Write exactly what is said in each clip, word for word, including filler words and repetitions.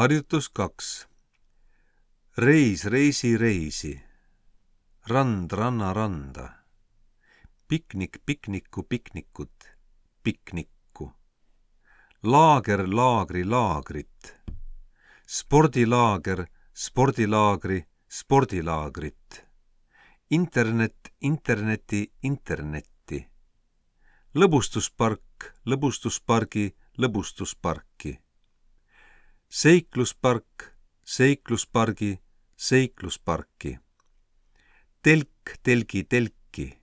Harjutus kaks. Reis, reisi, reisi. Rand, ranna, randa. Piknik, pikniku, piknikut. Piknikku. Laager, laagri, laagrit. Spordilaager, spordilaagri, spordilaagrit. Internet, interneti, internetti. Lõbustuspark, lõbustuspargi, lõbustusparki. Seikluspark, seikluspargi, seiklusparki. Telk, telgi, telki.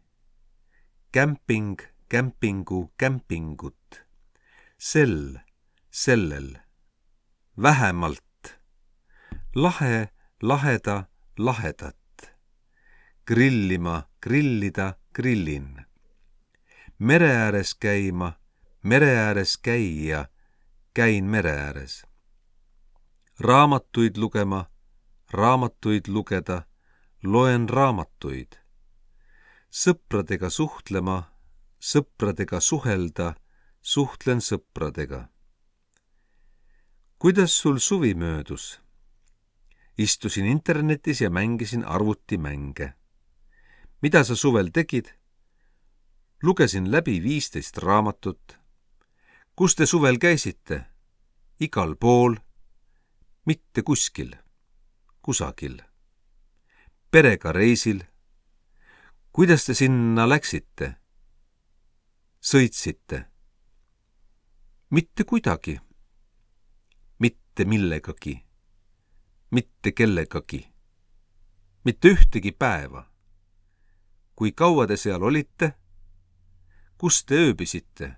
Kämping, kämpingu, kämpingut. Sell, sellel. Vähemalt. Lahe, laheda, lahedat. Grillima, grillida, grillin. Mere ääres käima, mere ääres käia, käin mere ääres. Raamatuid lugema, raamatuid lugeda, loen raamatuid. Sõpradega suhtlema, sõpradega suhelda, suhtlen sõpradega. Kuidas sul suvi möödus? Istusin internetis ja mängisin arvutimänge. Mida sa suvel tegid? Lugesin läbi viisteist raamatut. Kus te suvel käisite? Igal pool. Mitte kuskil. Kusagil. Perega reisil. Kuidas te sinna läksite? Sõitsite. Mitte kuidagi. Mitte millegagi. Mitte kellegagi. Mitte ühtegi päeva. Kui kaua te seal olite? Kus te ööbisite?